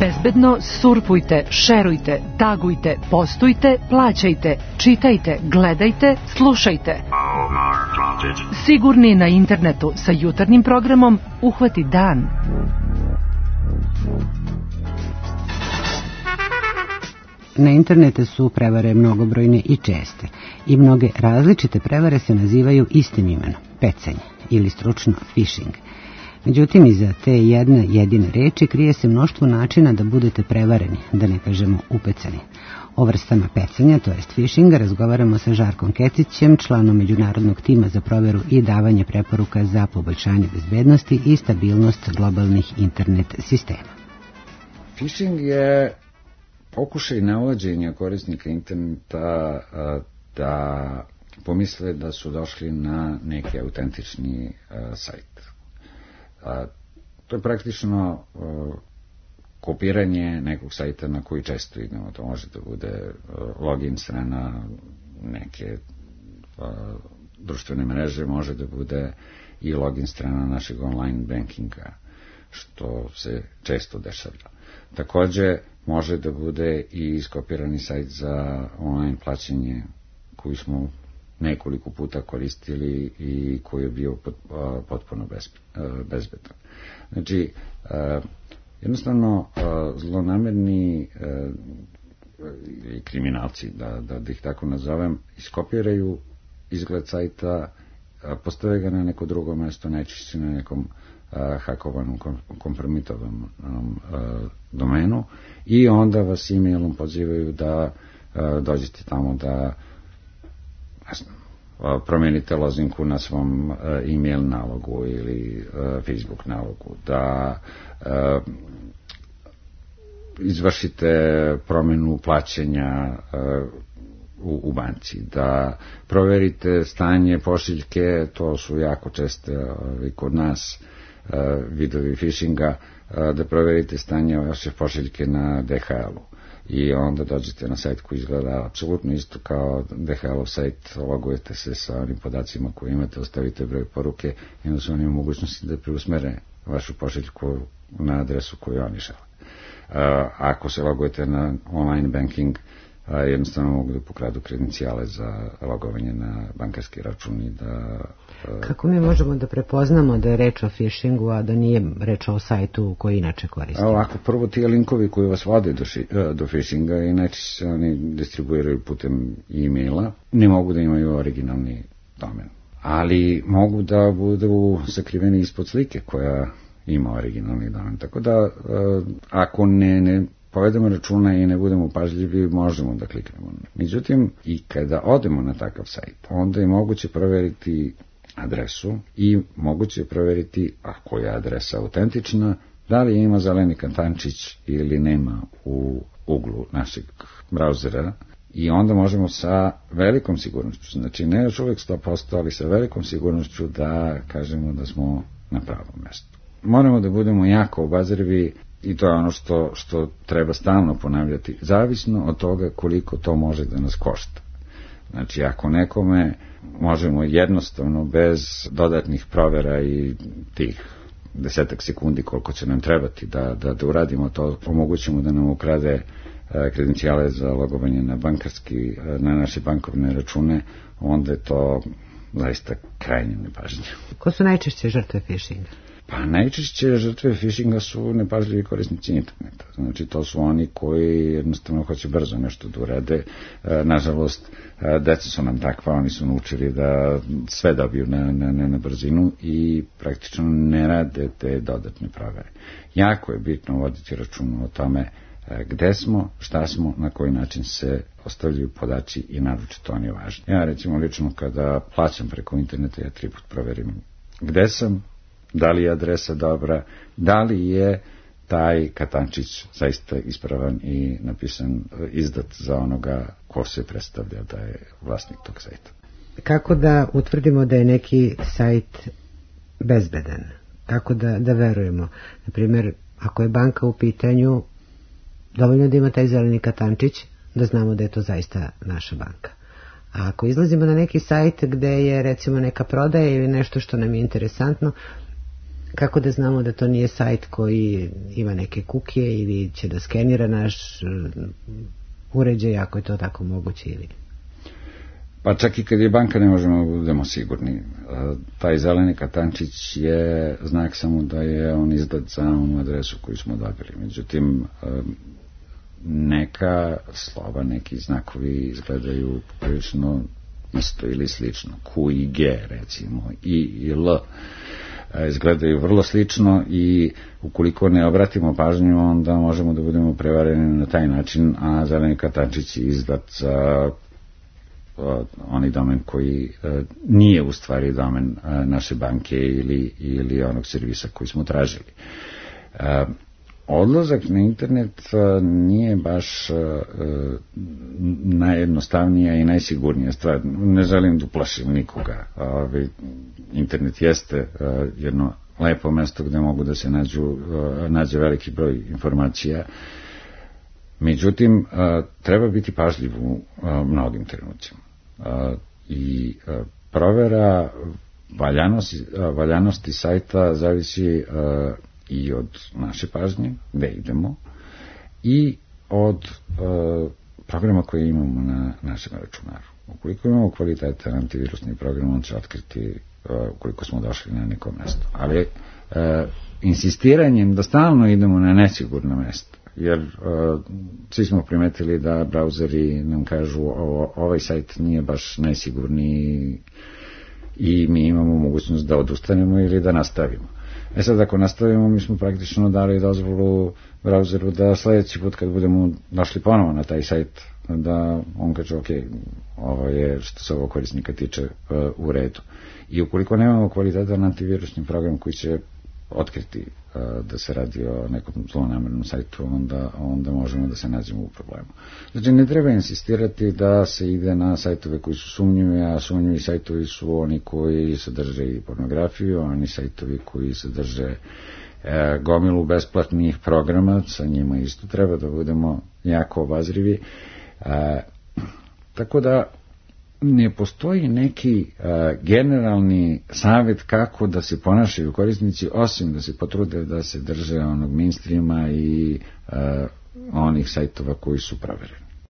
Bezbedno surfujte, šerujte, tagujte, postujte, plaćajte, čitajte, gledajte, slušajte. Sigurni na internetu sa jutarnjim programom Uhvati dan. Na internetu su prevare mnogobrojne i česte i mnoge različite prevare se nazivaju istim imenom, pecanje ili stručno phishing. Međutim, iza te jedne jedine reči krije se mnoštvo načina da budete prevareni, da ne kažemo upecani. O vrstama pecanja, to jest phishinga, razgovaramo sa Žarkom Kecićem, članom međunarodnog tima za proveru i davanje preporuka za poboljšanje bezbednosti i stabilnost globalnih internet sistema. Phishing je pokušaj navođenja korisnika interneta da pomisle da su došli na neki autentični sajt. To je praktično kopiranje nekog sajta na koji često idemo. To može da bude login strana neke društvene mreže, može da bude i login strana našeg online bankinga, što se često dešavlja. Takođe, može da bude i iskopirani sajt za online plaćanje koji smo nekoliko puta koristili i koji je bio potpuno bezbedan. Znači, jednostavno, zlonamerni kriminalci, da ih tako nazovem, iskopiraju izgled sajta, postave ga na neko drugo mesto, najčešće na nekom hakovanom, kompromitovanom domenu i onda vas e-mailom pozivaju da dođete tamo da promenite lozinku na svom e-mail nalogu ili Facebook nalogu, da izvršite promenu plaćanja u banci, da proverite stanje pošiljke, to su jako česte kod nas vidovi phishinga, da proverite stanje vaše pošiljke na DHL-u i onda dođete na sajt koji izgleda apsolutno isto kao DHL-ov sajt, logujete se sa onim podacima koje imate, ostavite broj poruke i onda su oni u mogućnosti da preusmere vašu pošiljku na adresu koju oni žele. Ako se logujete na online banking, jednostavno mogu da pokradu kredencijale za logovanje na bankarski račun i da... Kako mi možemo da prepoznamo da je reč o phishingu, a da nije reč o sajtu koji inače koristimo? Ovako, prvo ti linkovi koji vas vode do phishinga i najčešće se oni distribuiraju putem e-maila, ne mogu da imaju originalni domen, ali mogu da budu sakriveni ispod slike koja ima originalni domen. Tako da, ako ne povedemo računa i ne budemo pažljivi, možemo da kliknemo. Međutim, i kada odemo na takav sajt, onda je moguće proveriti adresu i moguće proveriti, ako je adresa autentična, da li ima zeleni katančić ili nema u uglu našeg brauzera i onda možemo sa velikom sigurnošću, znači ne još uvijek 100%, ali sa velikom sigurnošću da kažemo da smo na pravom mjestu. Moramo da budemo jako obazrivi i to je ono što treba stalno ponavljati, zavisno od toga koliko to može da nas košta. Znači, ako nekome možemo jednostavno, bez dodatnih provera i tih 10 sekundi koliko će nam trebati da uradimo to, omogućimo da nam ukrade kredencijale za logovanje na naše bankovne račune, onda je to zaista krajnje nepažnje. Ko su najčešće žrtve phishinga? Pa najčešće žrtve phishinga su nepažljivi korisnici interneta. Znači, to su oni koji jednostavno hoće brzo nešto da urade. Nažalost, deca su nam takva, oni su naučili da sve dobiju na brzinu i praktično ne rade te dodatne provere. Jako je bitno voditi račun o tome gde smo, šta smo, na koji način se ostavljaju podaci i naročito oni važni. Ja recimo lično kada plaćam preko interneta, ja 3 put proverim gde sam, da li je adresa dobra, da li je taj katančić zaista ispravan i napisan, izdat za onoga ko se predstavlja da je vlasnik tog sajta. Kako da utvrdimo da je neki sajt bezbedan? Kako da verujemo? Naprimjer, ako je banka u pitanju, dovoljno da ima taj zeleni katančić da znamo da je to zaista naša banka. A ako izlazimo na neki sajt gde je recimo neka prodaja ili nešto što nam je interesantno, Kako da znamo da to nije sajt koji ima neke kukije ili će da skenira naš uređaj, ako je to tako moguće ili... Pa čak i kad je banka ne možemo da budemo sigurni. Taj zeleni katančić je znak samo da je on izdat za onu adresu koju smo dobili. Međutim, neka slova, neki znakovi izgledaju prilično isto ili slično. Q i G, recimo, I i L izgledaju vrlo slično i ukoliko ne obratimo pažnju, onda možemo da budemo prevareni na taj način, a zeleni katančić je izdat za onaj domen koji nije u stvari domen naše banke ili onog servisa koji smo tražili. Odlazak na internet nije baš najjednostavnija i najsigurnija stvar. Ne želim da uplašim nikoga. Internet jeste jedno lepo mesto gde mogu da se nađe veliki broj informacija. Međutim, treba biti pažljiv u mnogim trenucima. I provera valjanosti sajta zavisi i od naše pažnje, gde idemo, i od programa koje imamo na našem računaru. Ukoliko imamo kvalitetan antivirusni program, on će otkriti ukoliko smo došli na neko mesto. Ali insistiranjem da stalno idemo na nesigurno mesto, jer svi smo primetili da brauzeri nam kažu ovaj sajt nije baš najsigurniji i mi imamo mogućnost da odustanemo ili da nastavimo. Sad, ako nastavimo, mi smo praktično dali dozvolu brauzeru da sledeći put kad budemo došli ponovo na taj sajt, da on kaže, ok, ovo je što se ovo korisnika tiče u redu. I ukoliko nemamo kvalitetan antivirusni program koji će otkriti da se radi o nekom zlonamernom sajtu, onda možemo da se nađemo u problemu. Znači, ne treba insistirati da se ide na sajtove koji su sumnjivi, a sumnjivi sajtovi su oni koji sadrže i pornografiju, oni sajtovi koji sadrže gomilu besplatnih programa, sa njima isto treba da budemo jako obazrivi. Tako da ne postoji neki generalni savjet kako da se ponašaju korisnici, osim da se potrude da se drže onog mainstreama i onih sajtova koji su provereni.